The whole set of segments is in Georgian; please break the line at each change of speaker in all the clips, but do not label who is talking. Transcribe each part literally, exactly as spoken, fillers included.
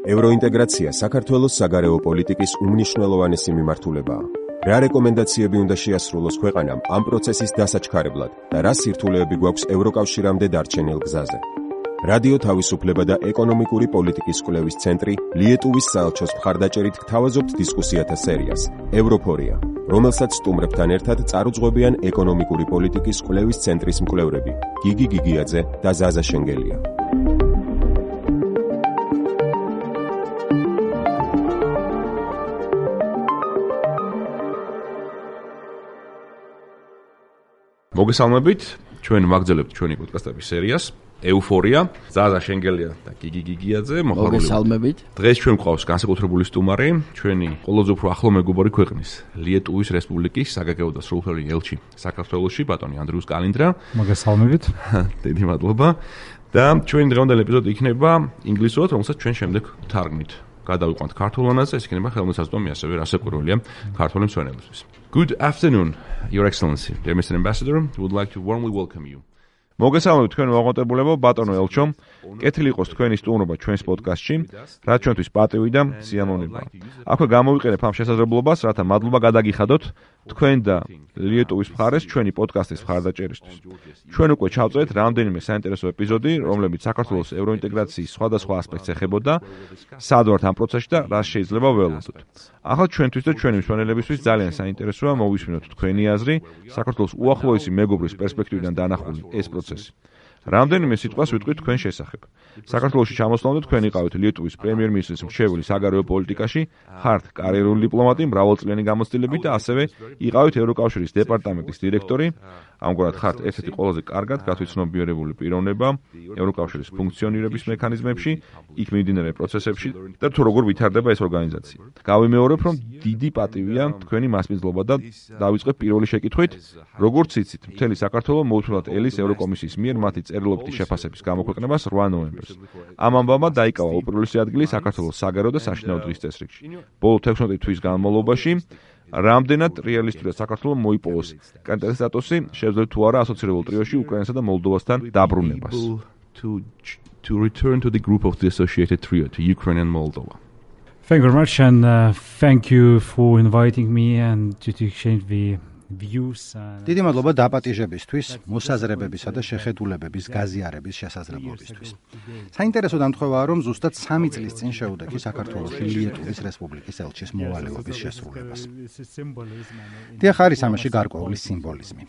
ევროინტეგრაცია საქართველოს საგარეო პოლიტიკის უმნიშვნელოვანესი მიმართულებაა. რა რეკომენდაციები უნდა შეასრულოს ქვეყანამ ამ პროცესის დასაჩქარებლად და რა სირთულეები გვაქვს ევროკავშირამდე დარჩენილ გზაზე. რადიო თავისუფლება და ეკონომიკური პოლიტიკის კვლევის ცენტრი ლიეტუვის საელჩოს მხარდაჭერით გთავაზობთ დისკუსიათა სერიას ევროფორია, რომელსაც სტუმრებთან ერთად წარუძღვებიან ეკონომიკური პოლიტიკის კვლევის ცენტრის მკვლევრები გიგი გიგიაძე და ზაზა შენგელია.
მოგესალმებით, ჩვენ ვაგრძელებთ ჩვენი პოდკასტების სერიას ეუფორია, ზაზა შენგელია და გიგი გიგიაძე.
მოგესალმებით.
დღეს ჩვენ გვყავს განსაკუთრებული სტუმარი, ჩვენი ყველაზე უფრო ახლო მეგობარი ქვეყნის ლიეტუვის რესპუბლიკის საგარეო და სრულუფლებიანი ელჩი საქართველოში, ბატონი ანდრიუს კალინდრა.
მოგესალმებით.
დიდი მადლობა. და ჩვენი დღევანდელი ეპიზოდი იქნება ინგლისურად, რომელსაც ჩვენ შემდეგ ვთარგმნით. გადავიყვანთ ქართულ ენაზე, ეს იქნება ხელმისაწვდომი ასევე რასაკვირველია ქართული მსვენელებისთვის. Good afternoon, Your Excellency, dear Mister Ambassador. We would like to warmly welcome you. მოგესალმებით თქვენ მოაღწევლებო ბატონო ელჩო. კეთილი იყოს თქვენი სტუმრობა ჩვენს პოდკასტში, რაც ჩვენთვის პატივი და სიამოვნებაა. აქვე გამოვიყენებ ამ შესაძლებლობას, რათა მადლობა გადაგიხადოთ თქვენ და ლიეტუვის მხარეს ჩვენი პოდკასტის მხარდაჭერისთვის. ჩვენ უკვე ჩავწერეთ რამდენიმე საინტერესო ეპიზოდი, რომლებიც საქართველოს ევროინტეგრაციის სხვადასხვა ასპექტს ეხებოდა, სად ვართ ამ პროცესში და რა შეიძლება ველოდოთ. ახლა ჩვენთვის და ჩვენი მსვენელებისთვის ძალიან საინტერესოა მოვისმინოთ თქვენი აზრი საქართველოს უახლოესი მეგობრის პერსპექტივიდან დანახული ეს პროცესი. რამდენიმე სიტყვას ვიტყვით თქვენ შესახებ. საქართველოში ჩამოსვლამდე თქვენ იყავით ლიეტუვის პრემიერ-მინისტრის მრჩეველი საგარეო პოლიტიკაში, ხართ კარიერული დიპლომატი მრავალწლიანი გამოცდილებით და ასევე იყავით ევროკავშირის დეპარტამენტის დირექტორი. ამგვარად ხართ ერთ-ერთი ყველაზე კარგად გათვითცნობიერებული პიროვნება ევროკავშირის ფუნქციონირების მექანიზმებში, იქ მიმდინარე პროცესებში და თუ როგორ ვითარდება ეს ორგანიზაცია. გავიმეორებ, რომ დიდი პატივია თქვენი მასპინძლობა და დავიწყებ პირველი შეკითხვით, როგორც იცით, მთელი საქართველო მოუთმენლად ელის ევროკომისიის მიერ მათი წერილობითი შეფასების გამოქვეყნებას რვა ნოემბერს. ამ ამბავმა დაიკავა უპირველესი ადგილი საქართველოს საგარეო და საშინაო დღის წესრიგში. ბოლო თექვსმეტი თვის განმავლობაში რამდენად რეალისტურად საქართველოს მოიპოვოს კანდიდატის სტატუსი, შეძლებს თუ არა ასოცირებულ ტრიოში უკრაინასა და მოლდოვასთან დაბრუნებას. To, to return to the group of the associated trio, to Ukraine and Moldova.
Thank you very much and uh, thank you for inviting me and to, to exchange the
დიდი მადლობა დაპატიჟებისთვის, მოსაზრებებისა და შეხედულებების გაზიარების შესაძლებლობისთვის. საინტერესო დამთხოვაა, რომ ზუსტად სამი წლის წინ შეუდექი საქართველოში ლიეტუვის რესპუბლიკის ელჩის მოვალეობის შესრულებას. დიახ, არის ამაში გარკვეული სიმბოლიზმი.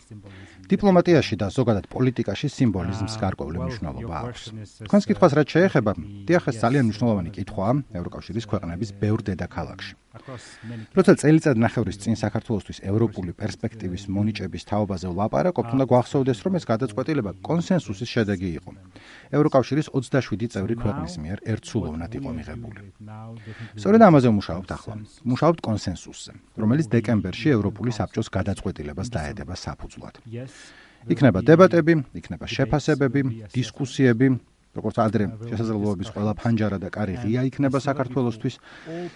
დიპლომატიაში და ზოგადად პოლიტიკაში სიმბოლიზმს გარკვეული მნიშვნელობა აქვს. თქვენს კითხვას რაც შეეხება, დიახ, ეს ძალიან მნიშვნელოვანი კითხვაა ევროკავშირის ქვეყნების ბევრ დედაქალაქში. როცა წელიწად ნახევრის წინ საქართველოსთვის ევროპული პერსპექტივის მონიჭების თაობაზე ვლაპარაკობთ, უნდა გვახსოვდეს, რომ ეს გადაწყვეტილება კონსენსუსის შედეგი იყო. ევროკავშირის ოცდაშვიდი წევრი ქვეყნის მიერ ერთსულოვნად იყო მიღებული. სწორედ ამაზე ვმუშაობთ ახლა. ვმუშაობთ კონსენსუსზე, რომელიც დეკემბერში ევროპული საბჭოს გადაწყვეტილებას დაედება საფუძვლად. იქნება დებატები, იქნება შეფასებები, დისკუსიები, როგორც ადრე შესაძლებლობების ყველა ფანჯარა და კარი ღია იქნება საქართველოსთვის.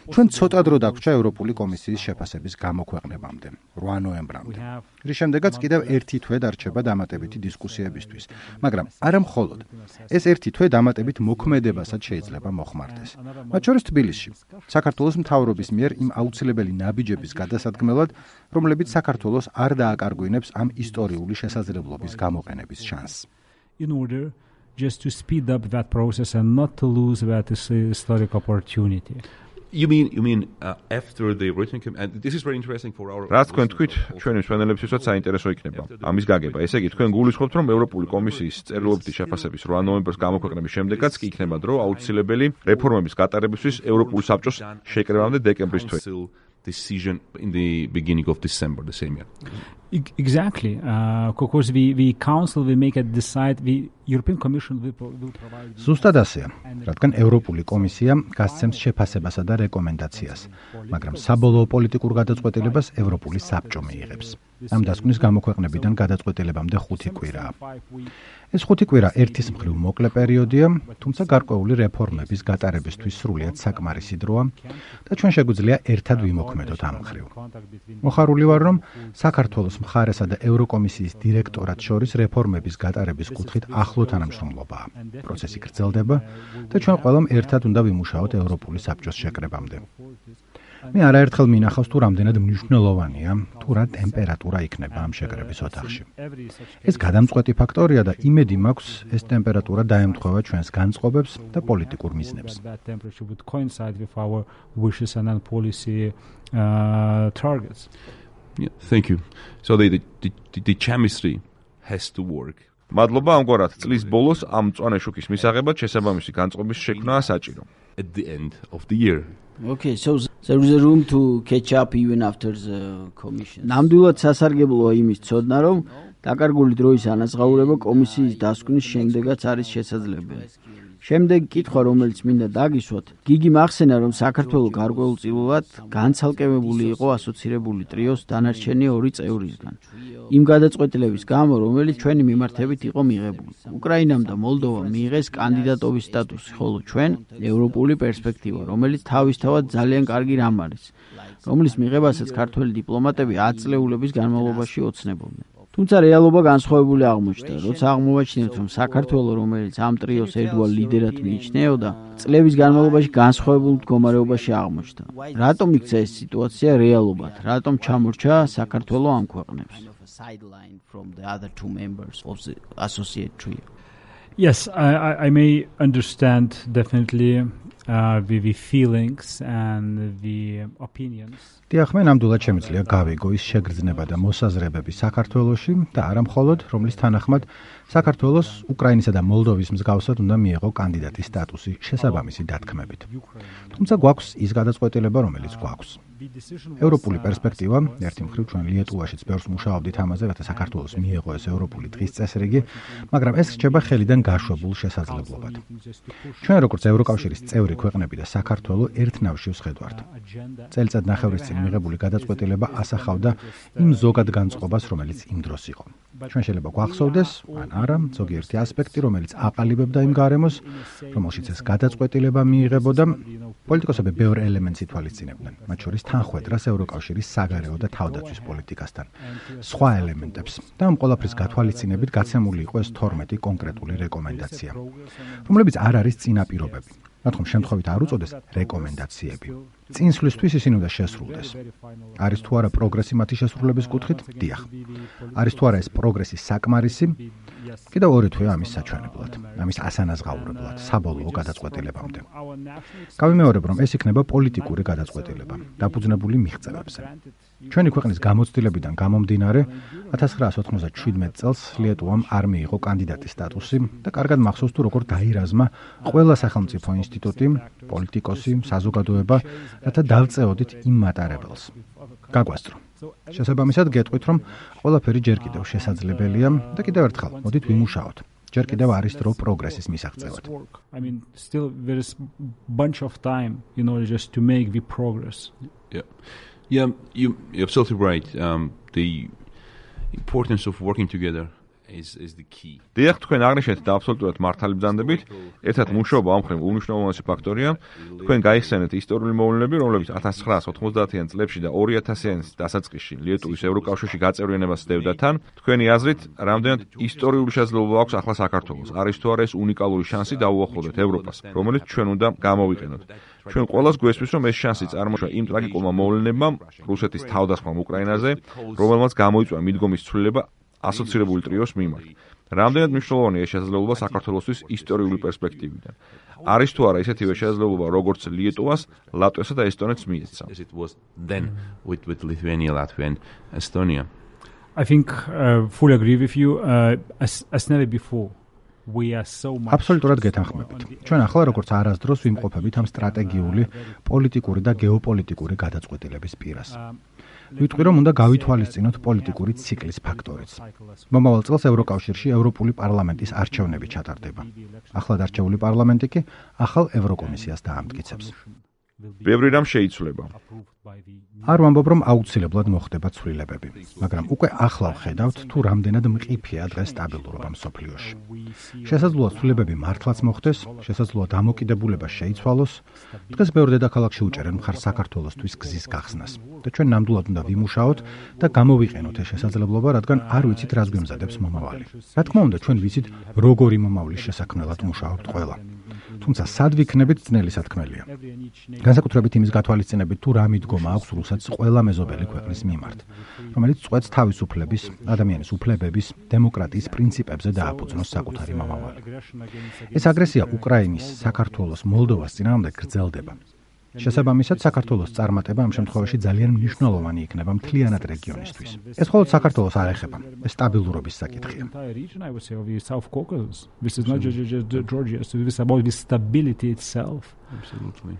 ჩვენ ცოტა დრო დაგვრჩა ევროპული კომისიის შეფასების გამოქვეყნებამდე, რვა ნოემბრამდე. რის შემდეგაც კიდევ ერთი თვე დარჩება დამატებითი დისკუსიებისთვის, მაგრამ არა მხოლოდ. ეს ერთი თვე დამატებით მოქმედებასაც შეიძლება მოხმარდეს. მათ შორის თბილისში, საქართველოს მთავრობის მიერ იმ აუცილებელი ნაბიჯების გადასადგმელად, რომლებიც საქართველოს არ დააკარგვინებს ამ ისტორიული შესაძლებლობის გამოყენების შანსს.
just to speed up that process and not to lose that historic opportunity.
You mean you mean uh, after the written and this is very interesting for our რაც თქვენ თქვით, ჩვენი მსვენელებისთვისაც საინტერესო იქნება ამის გაგება. ესე იგი, თქვენ გულისხმობთ, რომ ევროპული კომისიის წერილობითი შეფასების რვა ნოემბერს გამოქვეყნების შემდეგაც კი იქნება დრო აუცილებელი რეფორმების გატარებისთვის ევროპული საბჭოს შეკრებამდე დეკემბრის თვე. Decision in the beginning of December the same year.
Exactly. Uh, because we, we council we make it decide the European Commission will, will provide.
ზუსტად ასეა, რადგან ევროპული კომისია გასცემს შეფასებასა და რეკომენდაციას, მაგრამ საბოლოო პოლიტიკურ გადაწყვეტილებას ევროპული საბჭო მიიღებს. ამ დასკვნის გამოქვეყნებიდან გადაწყვეტილებამდე ხუთი კვირაა. ეს ხუთი კვირა ერთის მხრივ მოკლე პერიოდია, თუმცა გარკვეული რეფორმების გატარებისთვის სრულიად საკმარისი დროა და ჩვენ შეგვიძლია ერთად ვიმოქმედოთ ამ მხრივ. მოხარული ვარ, რომ საქართველოს მხარესა და ევროკომისიის დირექტორატ შორის რეფორმების გატარების კუთხით ახლო ახლო თანამშრომლობაა. პროცესი გრძელდება და ჩვენ ყველამ ერთად უნდა ვიმუშაოთ ევროპული საბჭოს შეკრებამდე. მე არაერთხელ მინახავს თუ რამდენად მნიშვნელოვანია თუ რა ტემპერატურა იქნება ამ შეკრების ოთახში. ეს გადამწყვეტი ფაქტორია და იმედი მაქვს ეს ტემპერატურა დაემთხვევა ჩვენს განწყობებს და პოლიტიკურ მიზნებს.
Yeah, thank you. So the the the, the chemistry has to work. მადლობა ამგვარად წლის ბოლოს ამ მწვანე შუქის მისაღებად შესაბამისი განწყობის შექმნაა საჭირო. At the end of the year.
Okay, so there is a room to catch up even after the commission. ნამდვილად სასარგებლოა იმის ცოდნა, რომ დაკარგული დროის ანაზღაურება კომისიის დასკვნის შემდეგაც არის შესაძლებელი. შემდეგ კითხვა, რომელიც მინდა დაგისვათ, გიგი მახსენა, რომ საქართველო გარკვეულწილად განცალკევებული იყო ასოცირებული ტრიოს დანარჩენი ორი წევრისგან. იმ გადაწყვეტილების გამო, რომელიც ჩვენი მიმართებით იყო მიღებული. უკრაინამ და მოლდოვამ მიიღეს კანდიდატობის სტატუსი, ხოლო ჩვენ ევროპული პერსპექტივა, რომელიც თავისთავად ძალიან კარგი რამ არის, რომლის მიღებასაც ქართველი დიპლომატები ათ წლეულების განმავლობაში ოცნებობდნენ. თუმცა რეალობა განსხვავებული აღმოჩნდა, როცა აღმოვაჩინეთ, რომ საქართველო, რომელიც ამ ტრიოს ერთგვარ ლიდერად მიიჩნეოდა, წლების განმავლობაში განსხვავებულ მდგომარეობაში აღმოჩნდა. რატომ იქცა ეს სიტუაცია რეალობად? რატომ ჩამორჩა საქართველო ამ ქვეყნებს?
Yes, I, I, I may understand definitely uh, the, the feelings and the opinions.
დიახ, მე ნამდვილად შემიძლია გავიგო ის შეგრძნება და მოსაზრებები საქართველოში და არა მხოლოდ, რომლის თანახმად საქართველოს უკრაინისა და მოლდოვის მსგავსად უნდა მიეღო კანდიდატის სტატუსი შესაბამისი დათქმებით. თუმცა გვაქვს ის გადაწყვეტილება, რომელიც გვაქვს. ევროპული პერსპექტივა, ერთი მხრივ ჩვენ ლიეტუვაშიც ბევრს მუშაობდით ამაზე, რათა საქართველოს მიეღო ეს ევროპული დღის წესრიგი, მაგრამ ეს რჩება ხელიდან გაშვებულ შესაძლებლობად. ჩვენ როგორც ევროკავშირის წევრი ქვეყნები და საქართველო ერთნავში ვსხედვართ. წელიწად ნახევრის წინ მიღებული გადაწყვეტილება ასახავდა იმ ზოგად განწყობას, რომელიც იმ დროს იყო. ჩვენ შეიძლება გვახსოვდეს, ან არა, ზოგიერთი ასპექტი, რომელიც აყალიბებდა იმ გარემოს, რომელშიც ეს გადაწყვეტილება მიიღებოდა, პოლიტიკოსები ბევრ ელემენტს ითვალისწინებდნენ, მათ შორის თანხვედრას ევროკავშირის საგარეო და თავდაცვის პოლიტიკასთან, სხვა ელემენტებს და ამ ყველაფრის გათვალისწინებით გაცემული იყო ეს თორმეტი კონკრეტული რეკომენდაცია, რომლებიც არ არის წინაპირობები. მათ ხომ შემთხვევით არ უწოდეს რეკომენდაციები. წინსვლისთვის ისინი უნდა შესრულდეს. არის თუ არა პროგრესი მათი შესრულების კუთხით? დიახ. არის თუ არა ეს პროგრესი საკმარისი? კიდევ ორი თვე ამის საჩვენებლად, ამის ასანაზღაურებლად, საბოლოო გადაწყვეტილებამდე. გავიმეორებ, რომ ეს იქნება პოლიტიკური გადაწყვეტილება, დაფუძნებული მიღწევებზე. ჩვენი ქვეყნის გამოცდილებიდან გამომდინარე, ათას ცხრაასი ოთხმოცდაშვიდმეტ წელს ლიეტუვამ არ მიიღო კანდიდატის სტატუსი და კარგად მახსოვს თუ როგორ დაირაზმა ყველა სახელმწიფო ინსტიტუტი, პოლიტიკოსი, საზოგადოება, რათა დავწეოდით იმ მატარებელს. გაგვასწრო. შესაბამისად გეტყვით, რომ ყველაფერი ჯერ კიდევ შესაძლებელია და კიდევ ერთხელ მოდით ვიმუშაოთ. ჯერ კიდევ არის დრო პროგრესის მისაღწევად.
I mean, still there is bunch of time in order just to make the progress.
Yeah. Yeah, you, you're absolutely right. Um, the importance of working together is is the key. დიახ, თქვენ აღნიშნეთ და აბსოლუტურად მართალი ბრძანდებით, ერთად მუშაობა ამ მხრივ უნიშნულოვანესი ფაქტორია. თქვენ გაიხსენეთ ისტორიული მოვლენები, რომლებიც ათას ცხრაასი ოცდაათიან წლებში და ორი ათასიან დასაწყისში ლიეტუვის ევროკავშირში გაწევრიანებას სდევდა თან. თქვენი აზრით, რამდენად ისტორიული შესაძლებლობა აქვს ახლა საქართველოს? არის თუ არა ეს უნიკალური შანსი დაუახლოვდეთ ევროპას, რომელიც ჩვენ უნდა გამოვიყენოთ? ჩვენ ყველას გვესმის, რომ ეს შანსი წარმოშვა იმ ტრაგიკულმა მოვლენებამ, რუსეთის თავდასხმამ უკრაინაზე, რომელმაც გამოიწვია მიდგომის ცვლილება ასოცირებული ტრიოს მიმართ. რამდენად მნიშვნელოვანია ეს შესაძლებლობა საქართველოსთვის ისტორიული პერსპექტივიდან? არის თუ არა ისეთივე შესაძლებლობა, როგორც ლიეტუვას, ლატვიასა და ესტონეთს მიეცა? It was then with with Lithuania, Latvia and Estonia.
I think uh, fully agree with you uh, as as never before. We are so much
აბსოლუტურად გეთანხმებით. ჩვენ ახლა როგორც არასდროს ვიმყოფებით ამ სტრატეგიული, პოლიტიკური და გეოპოლიტიკური გადაწყვეტილების პირას. ვიტყვი, რომ უნდა გავითვალისწინოთ პოლიტიკური ციკლის ფაქტორიც. მომავალ წელს ევროკავშირში ევროპული პარლამენტის არჩევნები ჩატარდება. ახლად არჩეული პარლამენტი კი ახალ ევროკომისიას დაამტკიცებს.
ბევრი რამ შეიცვლება.
არ ვამბობ, რომ აუცილებლად მოხდება ცვლილებები, მაგრამ უკვე ახლა ვხედავთ, თუ რამდენად მყიფეა დღეს სტაბილურობა მსოფლიოში. შესაძლოა ცვლილებები მართლაც მოხდეს, შესაძლოა დამოკიდებულება შეიცვალოს. დღეს ბევრ დედაქალაქში უჭერენ მხარს საქართველოსთვის გზის გახსნას და ჩვენ ნამდვილად უნდა ვიმუშაოთ და გამოვიყენოთ ეს შესაძლებლობა, რადგან არ ვიცით, რას გვემზადებს მომავალი. რა თქმა უნდა, ჩვენ ვიცით, როგორი მომავლის შესაქმნელად მუშაობთ ყველა. თუმცა სად ვიქნებით ძნელი სათქმელია. განსაკუთრებით იმის გათვალისწინებით, თუ რა მიდგომა აქვს რუსეთს ყველა მეზობელი ქვეყნის მიმართ, რომელიც წვეთს თავისუფლების, ადამიანის უფლებების, დემოკრატიის პრინციპებზე დააფუძნოს საკუთარი მომავალი. ეს აგრესია უკრაინის, საქართველოს, მოლდოვას წინააღმდეგ გრძელდება. შესაბამისად, საქართველოს წარმატება ამ შემთხვევაში ძალიან მნიშვნელოვანი იქნება მთლიანად რეგიონისთვის. ეს მხოლოდ საქართველოს არ ეხება, ეს სტაბილურობის საკითხია.
This is not just, just Georgia, so it's about the stability itself.
Absolutely.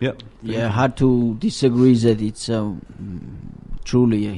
Yeah.
Yeah, hard to disagree that it's uh, truly a,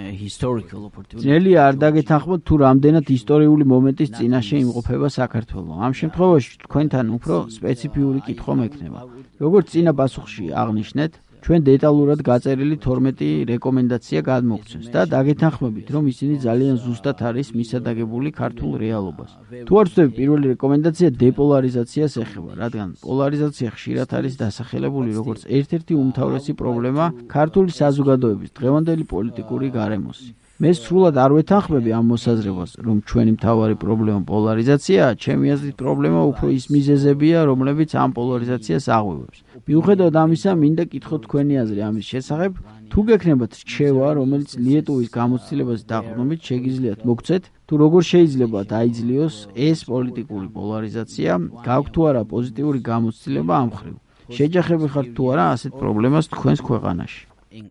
a historical opportunity. ძნელი არ დაგეთანხმოთ თუ რამდენად ისტორიული მომენტის წინაშე იმყოფება საქართველო. ამ შემთხვევაში თქვენთან უფრო სპეციფიური კითხვა მექნება. როგორც წინა პასუხში აღნიშნეთ, ჩვენ დეტალურად გაწერილი თორმეტი რეკომენდაცია გადმოგცემს და დაგეთანხმებით, რომ ისინი ძალიან ზუსტად არის მისადაგებული ქართულ რეალობას. თუ არ ვწდები, პირველი რეკომენდაცია დეპოლარიზაციას ეხება, რადგან პოლარიზაცია ხშირად არის დასახელებული როგორც ერთ-ერთი უმთავრესი პრობლემა ქართული საზოგადოების დღევანდელი პოლიტიკური გარემოსი. მე სრულად არ ვეთანხმები ამ მოსაზრებას, რომ ჩვენი მთავარი პრობლემა პოლარიზაციაა, ჩემი აზრით პრობლემა უფრო ის მიზეზებია, რომლებიც ამ პოლარიზაციას აღვივებს. მიუხედავად ამისა, მინდა კითხოთ თქვენი აზრი ამის შესახებ, თუ გექნებათ რჩევა, რომელიც ლიეტუვის გამოცდილებას დაყრდნობით შეგიძლიათ მოგცეთ, თუ როგორ შეიძლება დაიძლიოს ეს პოლიტიკური პოლარიზაცია, გაქვთ თუ არა პოზიტიური გამოცდილება ამ მხრივ. შეჯახები ხართ თუ არა ასეთ პრობლემას თქვენს ქვეყანაში.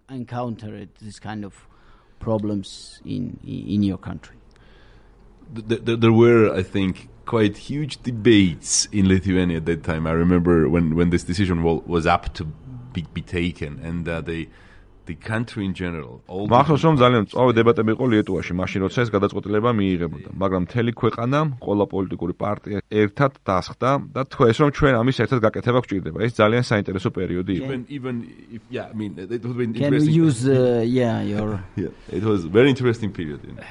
Encountered this kind of problems in in your country.
There, there, there were, I think, quite huge debates in Lithuania at that time. I remember when, when this decision was up to be, be taken, and uh, they, the country in general. მახსოვს რომ ძალიან წავე დებატები იყო ლიეტუვაში, მაშინ როცა ეს გადაწყვეტილება მიიღებოდა, მაგრამ მთელი ქვეყანა, ყველა პოლიტიკური პარტია ერთად დასხდა და თქვეს რომ ჩვენ ამის ერთად გაკეთება გვჭირდება. ეს ძალიან საინტერესო პერიოდი იყო.
Even
even if yeah, I mean it would be
Can
interesting.
we use uh, yeah, your
Yeah, it was a very interesting period. You know.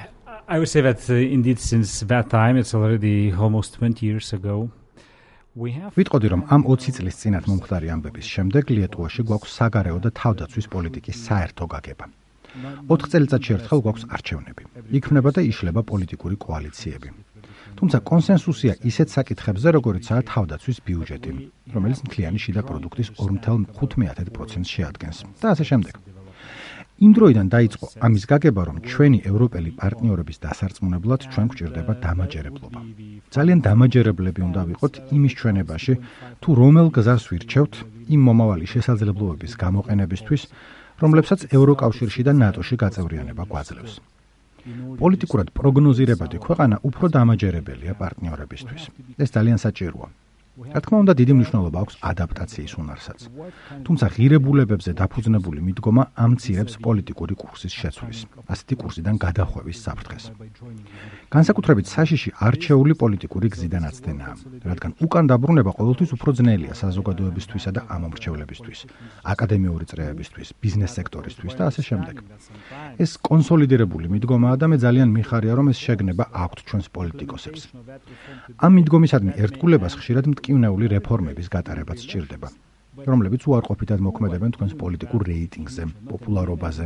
I would say that uh, indeed since that time, it's already almost twenty years ago. We have
ვიტყოდი რომ ამ ოცი წლის წინათ მომხდარი ამბების შემდეგ ლიეტუვაში გვაქვს საგარეო და თავდაცვის პოლიტიკის საერთო გაგება. ოთხ წელიწადში ერთხელ გვაქვს არჩევნები. იქმნება და იშლება პოლიტიკური კოალიციები. თუმცა კონსენსუსია ისეთ საკითხებზე, როგორიცაა თავდაცვის ბიუჯეტი, რომელიც მთლიანი შიდა პროდუქტის ორი წუთი ხუთი პროცენტს შეადგენს და ასე შემდეგ. იმ დროიდან დაიწყო ამის გაგება, რომ ჩვენი ევროპელი პარტნიორების დასარწმუნებლად ჩვენ გვჭირდება დამაჯერებლობა. ძალიან დამაჯერებლები უნდა ვიყოთ იმის ჩვენებაში, თუ რომელ გზას ვირჩევთ იმ მომავალი შესაძლებლობების გამოყენებისთვის, რომლებსაც ევროკავშირში და ნატოში გაწევრიანება გვაძლევს. პოლიტიკურად პროგნოზირებადი ქვეყანა უფრო დამაჯერებელია პარტნიორებისთვის. ეს ძალიან საჭიროა. რა თქმა უნდა, დიდი მნიშვნელობა აქვს ადაპტაციის უნარსაც. თუმცა ღირებულებებზე დაფუძნებული მიდგომა ამცირებს პოლიტიკური კურსის შეცვლის, ასეთი კურსიდან გადახვევის საფრთხეს. განსაკუთრებით საშიში არჩეული პოლიტიკური გზიდან აცდენაა, რადგან უკან დაბრუნება ყოველთვის უფრო ძნელია საზოგადოებისთვისა და ამომრჩევლებისთვის, აკადემიური წრეებისთვის, ბიზნეს სექტორისთვის და ასე შემდეგ. ეს კონსოლიდირებული მიდგომაა და მე ძალიან მიხარია, რომ ეს შეგნება აქვთ ჩვენს პოლიტიკოსებს. ამ მიდგომისადმი ერთგულებას ხშირად მტკივნეული რეფორმების გატარებაც სჭირდება, რომლებიც უარყოფითად მოქმედებენ თქვენს პოლიტიკურ რეიტინგზე, პოპულარობაზე,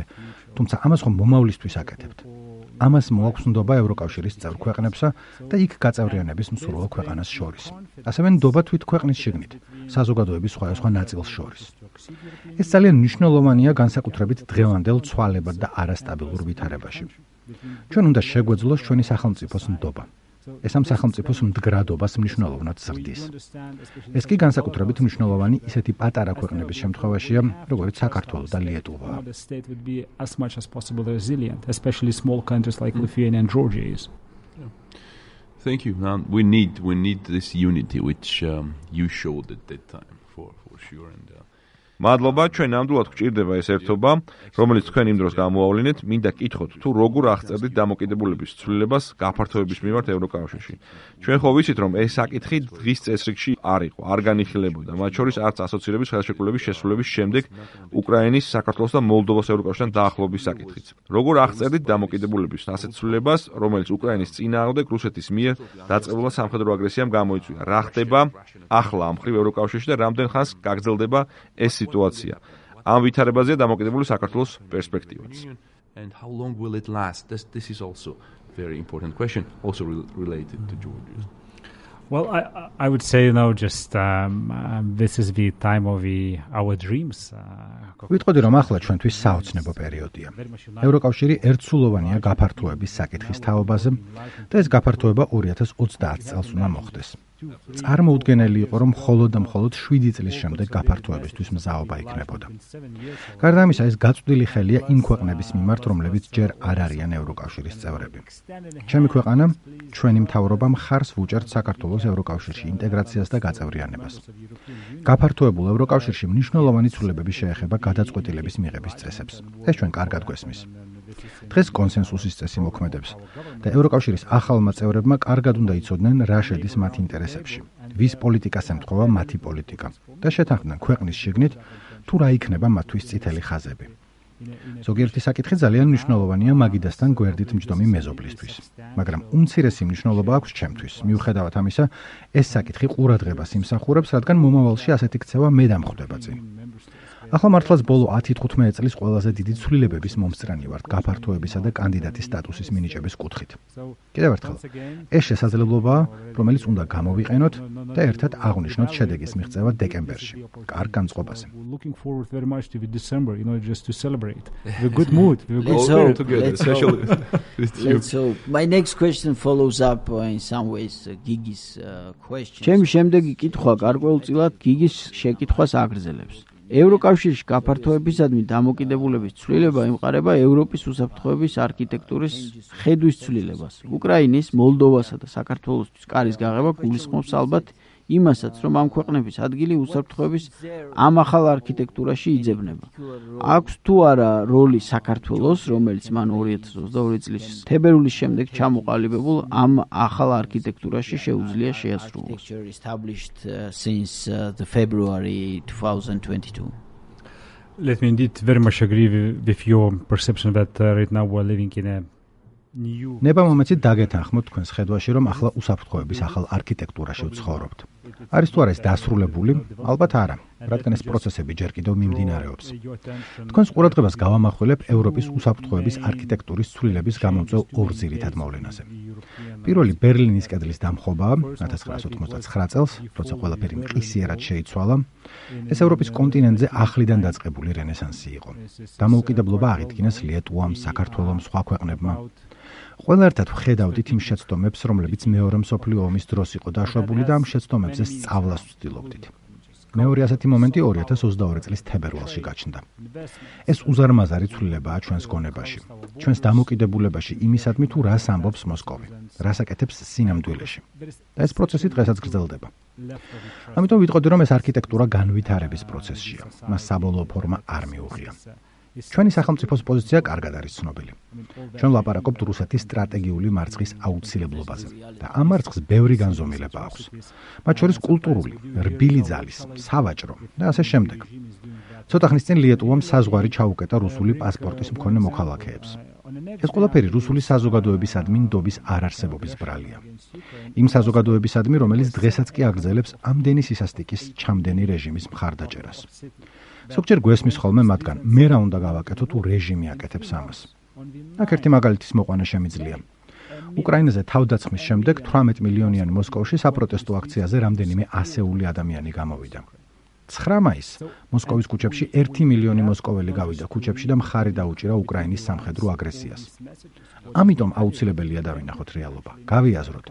თუმცა ამას ხომ მომავლისთვის აკეთებთ. ამას მოაქვს ნდობა ევროკავშირის წევრ ქვეყნებსა და იქ გაწევრიანების მსურველ ქვეყანას შორის. ასევე ნდობა თვით ქვეყნის შიგნით, საზოგადოების სხვადასხვა ნაწილს შორის. ეს ძალიან მნიშვნელოვანია განსაკუთრებით დღევანდელ ცვალებად და არასტაბილურ ვითარებაში. ჩვენ უნდა შეგვეძლოს ჩვენი სახელმწიფოს ნდობა. ეს ამ სახელმწიფოს მდგრადობას მნიშვნელოვნად ზრდის. ეს კი განსაკუთრებით მნიშვნელოვანი ისეთი პატარა ქვეყნების შემთხვევაშია, როგორც საქართველო და ლიეტუვა.
the state would be as much as possible resilient, especially small countries like Lithuania and Georgia is.
Thank you. Now, we need we need this unity which um, you showed at that time for for sure, and uh, მადლობა, ჩვენ ნამდვილად გვჭირდება ეს ერთობა, რომელიც თქვენ იმ დროს გამოავლინეთ, მინდა კითხოთ, თუ როგორ აღწერდით დამოკიდებულების ცვლილებას გაფართოების მიმართ ევროკავშირში. ჩვენ ხო ვიცით, რომ ეს საკითხი დღის წესრიგში არ იყო, არ განიხილებოდა, მათ შორის არც ასოცირების ხელშეკრულების შესრულების შემდეგ უკრაინის, საქართველოს და მოლდოვას ევროკავშირთან დაახლოების საკითხიც. როგორ აღწერდით დამოკიდებულების ასეთ ცვლილებას, რომელიც უკრაინის წინააღმდეგ რუსეთის მიერ დაწყებულა სამხედრო აგრესიამ გამოიწვია? რა ხდება ახლა ამ მხრივ ევროკავშირში და რამდენ ხანს გაგრძელდება ეს სიტუაცია? ამ ვითარებაზეა დამოკიდებული საქართველოს პერსპექტივაც. And how long will it last? This, this is also a very important question, also re- related to Georgia.
Well, I, I would say, you know, just um, um, this is the time of the, our dreams.
ვიტყოდი, რომ ახლა ჩვენთვის საოცნებო პერიოდია. ევროკავშირი ერთსულოვანია გაფართოების საკითხის თაობაზე და ეს გაფართოება ორი ათას ოცდაათ წელს უნდა მოხდეს. წარმოუდგენელი იყო, რომ მხოლოდ და მხოლოდ შვიდი წლის შემდეგ გაფართოებისთვის მზაობა იქნებოდა. გარდა ამისა, ეს გაწვდილი ხელია იმ ქვეყნების მიმართ, რომლებიც ჯერ არ არიან ევროკავშირის წევრები. ჩემი ქვეყანა, ჩვენი მთავრობა მხარს ვუჭერთ საქართველოს ევროკავშირში ინტეგრაციას და გაწევრიანებას. გაფართოებულ ევროკავშირში მნიშვნელოვანი ცვლილებები შეეხება გადაწყვეტილების მიღების წესებს. ეს ჩვენ კარგად გვესმის. დღეს კონსენსუსის წესი მოქმედებს და ევროკავშირის ახალმა წევრებმა კარგად უნდა იცოდნენ, რა შედის მათ ინტერესებში, ვის პოლიტიკას ემთხვევა მათი პოლიტიკა და შეთანხმდნენ ქვეყნის შიგნით, თუ რა იქნება მათთვის წითელი ხაზები. ზოგიერთი საკითხი ძალიან მნიშვნელოვანია მაგიდასთან გვერდით მჯდომი მეზობლისთვის, მაგრამ უმცირესი მნიშვნელობა აქვს ჩემთვის. მიუხედავად ამისა, ეს საკითხი ყურადღებას იმსახურებს, რადგან მომავალში ასეთი ქცევა მე დამხვდება წინ. ახლა მართლაც ბოლო ათი თხუთმეტი წლის ყველაზე დიდი ცვლილებების მომსწრენი ვართ გაფართოებისა და კანდიდატის სტატუსის მინიჭების კუთხით. კიდევ ერთხელ, ეს შესაძლებლობაა, რომელიც უნდა გამოვიყენოთ და ერთად აღვნიშნოთ შედეგის მიღწევა დეკემბერში, კარგ განწყობაზე.
Looking forward very much to December, you know, just to celebrate. The good mood, the good
Let's
spirit.
hope, let's
especially with you.
Let's hope. My next question follows up uh, in some ways uh, Gigi's uh, question. ჩემი შემდეგი კითხვა გარკვეულწილად გიგის შეკითხვას აგრძელებს. ევროკავშირში გაფართოებისადმი დამოკიდებულების ცვლილება ემყარება ევროპის უსაფრთხოების არქიტექტურის ხედვის ცვლილებას. უკრაინის, მოლდოვასა და საქართველოსთვის კარის გაღება გულისხმობს ალბათ იმასაც, რომ ამ ქვეყნების ადგილი უსაფრთხოების ამ ახალ არქიტექტურაში იძებნება. აქვს თუ არა როლი საქართველოს, რომელიც მან ორი ათას ოცდაორი წლის თებერვლის შემდეგ ჩამოყალიბებულ ამ ახალ არქიტექტურაში შეუძლია შეასრულოს. Established uh, since uh, the February twenty twenty-two.
Let me indeed very much agree with your perception that uh, right now we're living in a
ნება მომეცით დაგეთანხმოთ თქვენს ხედვაში, რომ ახლა უსაფრთხოების ახალ არქიტექტურაში ვცხოვრობთ. არის თუ არა ეს დასრულებული? ალბათ არა, რადგან ეს პროცესები ჯერ კიდევ მიმდინარეობს. თქვენს ყურადღებას გავამახვილებ ევროპის უსაფრთხოების არქიტექტურის ცვლილების გამომწვევ ორ ძირითად მოვლენაზე. პირველი ბერლინის კედლის დამხობაა ათას ცხრაასი ოთხმოცდაცხრა წელს, როცა ყველაფერი მყისიერად შეიცვალა. ეს ევროპის კონტინენტზე ახლიდან დაწყებული რენესანსი იყო. დამოუკიდებლობა აღიდგინეს ლიტვამ, საქართველომ, სხვა ქვეყნებმა. ყველა ერთად ვხედავდით იმ შეცდომებს, რომლებიც მეორე მსოფლიო ომის დროს იყო დაშვებული და ამ შეცდომებზე სწავლას ვცდილობდით. მეორე ასეთი მომენტი ორი ათას ოცდაორი წლის თებერვალში გაჩნდა. ეს უზარმაზარი ცვლილებაა ჩვენს გონებაში, ჩვენს დამოკიდებულებაში იმისადმი, თუ რას ამბობს მოსკოვი, რას აკეთებს სინამდვილეში. და ეს პროცესი დღესაც გრძელდება. ამიტომ ვიტყოდი, რომ ეს არქიტექტურა განვითარების პროცესშია, მას საბოლოო ფორმა არ მიუღია. ჩვენი სახელმწიფოს პოზიცია კარგად არის ცნობილი. ჩვენ ვლაპარაკობთ რუსეთის სტრატეგიული მარცხის აუცილებლობაზე და ამ მარცხს ბევრი განზომილება აქვს. მათ შორის კულტურული, რბილი ძალის, სავაჭრო და ასე შემდეგ. ცოტა ხნის წინ ლიტვამ საზღვარი ჩაუკეტა რუსული პასპორტის მქონე მოქალაქეებს. ეს ყველაფერი რუსული საზოგადოებისადმი ნდობის არარსებობის ბრალია. იმ საზოგადოებისადმი, რომელიც დღესაც კი აგრძელებს ამდენი სისასტიკის ჩამდენი რეჟიმის მხარდაჭერას. ზოგჯერ გვესმის ხოლმე მათგან, მე რა უნდა გავაკეთო თუ რეჟიმი აკეთებს ამას. აქ ერთი მაგალითის მოყვანა შემიძლია. უკრაინაზე თავდასხმის შემდეგ თვრამეტ მილიონიანი მოსკოვში საპროტესტო აქციაზე რამდენიმე ასეული ადამიანი გამოვიდა. ცხრა მაისს მოსკოვის ქუჩებში ერთი მილიონი მოსკოველი გავიდა ქუჩებში და მხარი დაუჭირა უკრაინის სამხედრო აგრესიას. ამიტომ აუცილებელია დავინახოთ რეალობა, გავიაზროთ,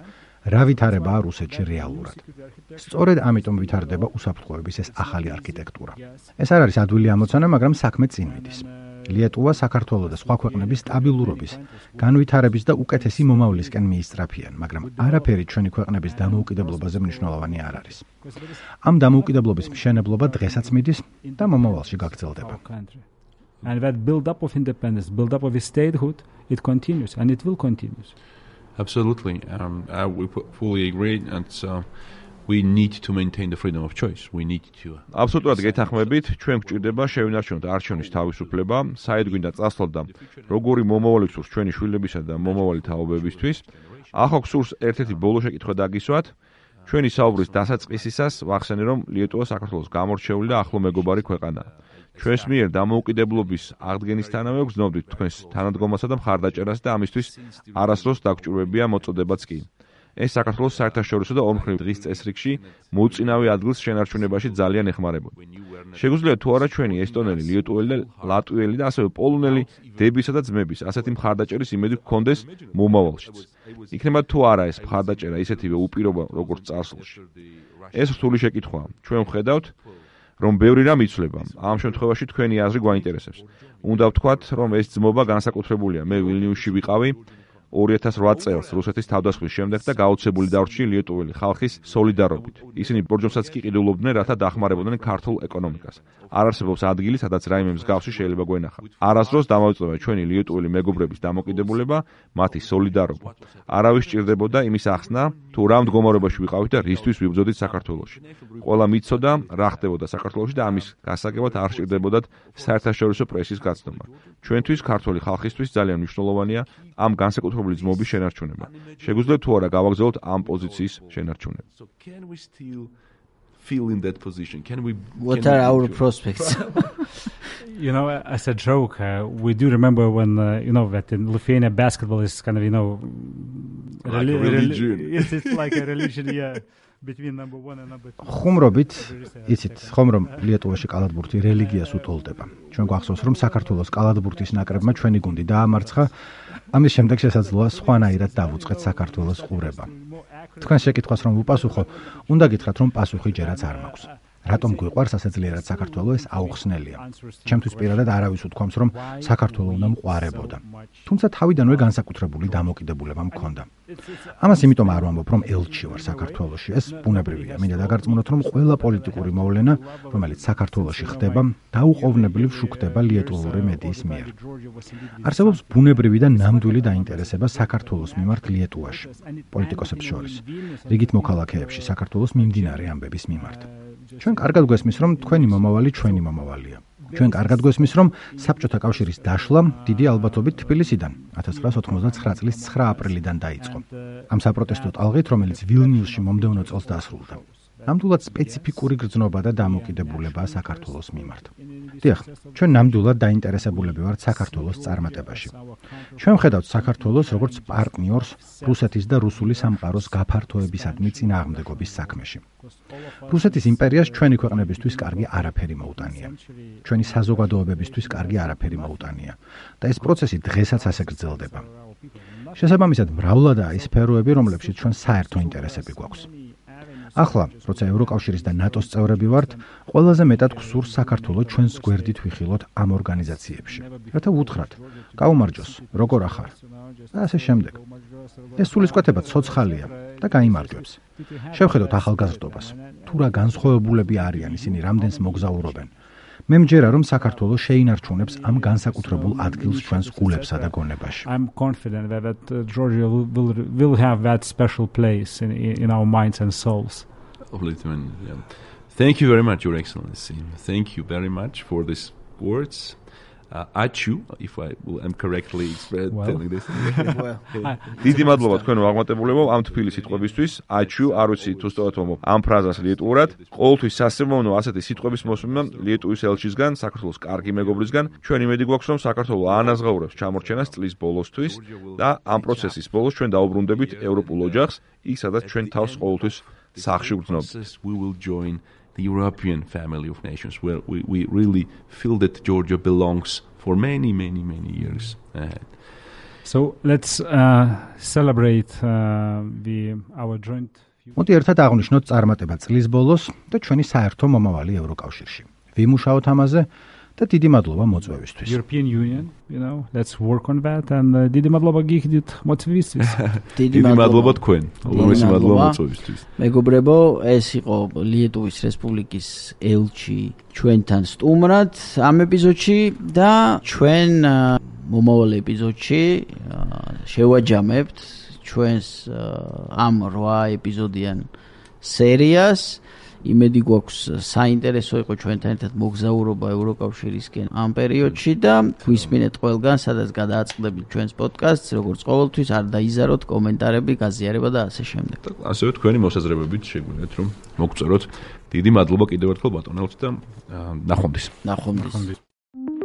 რა ვითარებაა რუსეთში რეალურად. სწორედ ამიტომ ვითარდება უსაფრთხოების ეს ახალი არქიტექტურა. ეს არ არის ადვილი ამოცანა, მაგრამ საქმე წინ მიდის. lietuvā საქართველოს და სხვა ქვეყნების სტაბილურობის, განვითარების და უკეთესი მომავლისკენ მიისწრაფიან, მაგრამ არაფერი ჩვენი ქვეყნების დამოუკიდებლობაზე მნიშვნელოვანი არ არის. ამ დამოუკიდებლობის მშენებლობა დღესაც მიდის და მომავალში გაგრძელდება.
And that build up of independence, build up of statehood, it continues and it will continue.
Absolutely. Um, uh, we fully agree and uh, we need to maintain the freedom of choice. We need to.
Absolutely გეთანხმებით, ჩვენ გვჭირდება შევინარჩუნოთ არჩევნის თავისუფლება, საერთოდ გვინდა წასვლოთ და როგორი მომავალი გსურს ჩვენი შვილებისა და მომავალი თაობებისთვის. ახლა გსურს ერთ-ერთი ბოლო შეკითხვა დაგისვათ. ჩვენი საუბრის დასაწყისისას ვახსენე, რომ ლიეტუვა საქართველოს გამორჩეული და ახლო მეგობარი ქვეყანაა. ჩვენს მიერ დამოუკიდებლობის აღდგენისთანავე გრძნობდით თქვენს თანადგომასა და მხარდაჭერას და ამისთვის არასდროს დაგვჭირვებია მოწოდებაც კი. ეს საქართველოს საერთაშორისო და ორმხრივ დღის წესრიგში მოუწინავე ადგილს შენარჩუნებაში ძალიან ეხმარებოდა. შეგვიძლია თუ არა ჩვენი ესტონელი, ლიეტუველი და ლატვიელი და ასევე პოლონელი დებისა და ძმების ასეთი მხარდაჭერის იმედი გქონდეს მომავალშიც. იქნება თუ არა ეს მხარდაჭერა ისეთივე უპირობა როგორც წარსულში. ეს რთული შეკითხვაა. ჩვენ ვხედავთ რომ ბევრი რამ იცვლება. ამ შემთხვევაში თქვენი აზრი გვაინტერესებს. უნდა ვთქვათ, რომ ეს ძმობა განსაკუთრებულია. მე ვილნიუსში ვიყავი ორი ათას ოთხ წელს რუსეთის თავდასხმის შემდეგ და გაუცებული დარჩი ლიეტუველი ხალხის სოლიდარობით. ისინი ბორჯომსაც კი ყიდულობდნენ, რათა დახმარებოდნენ ქართულ ეკონომიკას. არ არსებობს ადგილი, სადაც რაიმე მსგავსი შეიძლება გვენახა. არასდროს დამოწმება ჩვენი ლიეტუველი მეგობრების დამოკიდებულება, მათი სოლიდარობა. არავის სჭირდებოდა იმის ახსნა, თუ რა მდგომარეობაში ვიყავით და რისთვის ვიბრძოდით საქართველოში. ყველა მიცოდა რა ხდებოდა საქართველოში და ამის გასაგებად არ სჭირდებოდათ საერთაშორისო პრესის გაცნობა. ჩვენთვის ქართული ხალხისთვის ძალიან მნიშვნელოვანია ამ განსაკუთრებული ძმობის შენარჩუნება. შეგვიძლია თუ არა გავაგრძელოთ ამ პოზიციის შენარჩუნება.
Feel in that position. Can we?
What
can
are
we
our prospects?
You know, as a joke, uh, we do remember when uh, you know that in Lithuania basketball is kind of you know
like reli- religion.
Reli- yes, it's like a religion, yeah. Between number one and number two.
ხუმრობით, იცით, ხომ რომ ლიეტუვაში კალათბურთი რელიგიას უტოლდება. ჩვენ გვახსოვს, რომ საქართველოს კალათბურთის ნაკრებმა ჩვენი გუნდი დაამარცხა. ამის შემდეგ შესაძლოა სხვანაირად დავუწყეთ საქართველოს ყურება. თქვენ შეკითხვას რომ უპასუხო, უნდა გითხრათ, რომ პასუხი ჯერაც არ მაქვს. რატომ გვიყვარს ასე ძლიერად საქართველო, ეს აუხსნელია. ჩემთვის პირადად არავის უთქვამს, რომ საქართველო უნდა მყარებოდა. თუმცა თავიდანვე განსაკუთრებული დამოკიდებულება მქონდა. ამას იმიტომ არ ვამბობ, რომ ელჩი ვარ საქართველოში. ეს ბუნებრივია. მინდა დაგარწმუნოთ, რომ ყველა პოლიტიკური მოვლენა, რომელიც საქართველოში ხდება, დაუყოვნებლივ შუქდება ლიეტუვური მედიის მიერ. არსებობს ბუნებრივი და ნამდვილი დაინტერესება საქართველოს მიმართ ლიეტუვაში, პოლიტიკოსებს შორის, რიგით მოქალაქეებში საქართველოს მიმდინარე ამბების მიმართ. ჩვენ კარგად გვესმის, რომ თქვენი მომავალი ჩვენი მომავალია. ჩვენ კარგად გვესმის, რომ საბჭოთა კავშირის დაშლა დიდი ალბათობით თბილისიდან ათას ცხრაას ოთხმოცდაცხრა წლის ცხრა აპრილიდან დაიწყო. ამ საპროტესტო ტალღით, რომელიც ვილნიუსში მომდევნო წელს დასრულდა. ნამდვილად სპეციფიკური გრძნობა და დამოკიდებულებაა საქართველოს მიმართ. დიახ, ჩვენ ნამდვილად დაინტერესებულები ვართ საქართველოს წარმატებაში. ჩვენ ვხედავთ საქართველოს როგორც პარტნიორს რუსეთის და რუსული სამყაროს გაფართოებისადმი წინააღმდეგობის საქმეში. რუსეთის იმპერიას ჩვენი ქვეყნებისთვის კარგი არაფერი მოუტანია. ჩვენი საზოგადოებებისთვის კარგი არაფერი მოუტანია და ეს პროცესი დღესაც ასე გრძელდება. შესაბამისად, მრავლადაა ის სფეროები, რომლებშიც ჩვენ საერთო ინტერესები გვაქვს. ახლა, როცა ევროკავშირის და ნატოს წევრები ვართ, ყველაზე მეტად გვსურს საქართველოს ჩვენს გვერდით ვიხილოთ ამ ორგანიზაციებში. რათა ვუთხრათ, გაუმარჯოს, როგორ ახარ? და ასე შემდეგ. ეს სულისკვეთება ცოცხალია და გაიმარჯვებს. შევხედოთ ახალგაზრდობას. თუ რა განსხვავებულები არიან ისინი, რამდენს მოგზაურობენ. მე მჯერა, რომ საქართველოს შეინარჩუნებს ამ განსაკუთრებულ ადგილს ჩვენს გულებსა და გონებაში.
I'm confident that, that uh, Georgia will, will will have that special place in in our minds and souls.
Yeah. Thank you very much, Your Excellency. Thank you very much for these words. Uh, Achu, if I am correctly well. telling this.
დიდი მადლობა თქვენო აღმატებულებო ამ თბილი სიტყვებისთვის. Achu, არ ვიცი თუ სწორად ვამბობ ამ ფრაზას ლიეტუურად. ყოველთვის სასიამოვნო ასეთი სიტყვების მოსმენა ლიეტუვის ელჩისგან, საქართველოს კარგი მეგობრისგან. ჩვენ იმედი გვაქვს, რომ საქართველო აანაზღაურებს ჩამორჩენას წლის ბოლოსთვის და ამ პროცესის ბოლოს ჩვენ დაუბრუნდებით ევროპულ ოჯახს, იქ სადაც ჩვენ თავს ყოველთვის სახში ვგრძნობთ.
We will join the European family of nations where we, we really feel that Georgia belongs for many, many, many years ahead.
So let's uh, celebrate uh, the our joint.
მოდი ერთად აღვნიშნოთ წარმატება წლის ბოლოს და ჩვენი საერთო მომავალი ევროკავშირში. ვიმუშაოთ ამაზე და დიდი მადლობა მოწვევისთვის.
European Union, you know, let's work on that and uh, დიდი მადლობა გიხდით მოწვევისთვის.
დიდი მადლობა
თქვენ. უღრესი მადლობა მოწვევისთვის.
მეგობრებო, ეს იყო ლიეტუვის რესპუბლიკის ელჩი ჩვენთან სტუმრად ამ ეპიზოდში და ჩვენ მომავალ ეპიზოდში შევაჯამებთ ჩვენს ამ რვა ეპიზოდიან სერიას. იმედი გვაქვს საინტერესო იყო ჩვენთან ერთად მოგზაურობა ევროკავშირისკენ ამ პერიოდში და გვისმინეთ ყველგან, სადაც გადააწყდებით ჩვენს პოდკასტს, როგორც ყოველთვის არ დაიზაროთ კომენტარები, გაზიარება და ასე შემდეგ.
ასევე თქვენი მოსაზრებებით შეგვიძლიათ რომ მოგწეროთ. დიდი მადლობა კიდევ ერთხელ ბატონელთ და ნახვამდის.
ნახვამდის.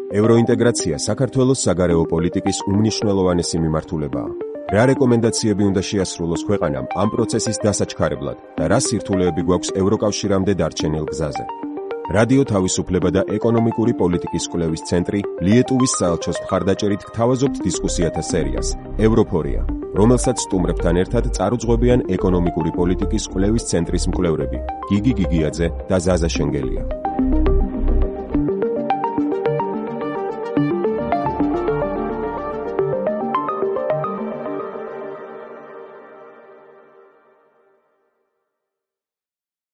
ევროინტეგრაცია საქართველოს საგარეო პოლიტიკის უმნიშვნელოვანესი მიმართულებაა. რა რეკომენდაციები უნდა შეასრულოს ქვეყანამ ამ პროცესის დასაჩქარებლად და რა სირთულეები გვაქვს ევროკავშირამდე დარჩენილ გზაზე. რადიო თავისუფლება და ეკონომიკური პოლიტიკის კვლევის ცენტრი ლიეტუვის საელჩოს მხარდაჭერით გთავაზობთ დისკუსიათა სერიას ევროფორია, რომელსაც სტუმრებთან ერთად წარუძღვებიან ეკონომიკური პოლიტიკის კვლევის ცენტრის მკვლევრები გიგი გიგიაძე და ზაზა შენგელია.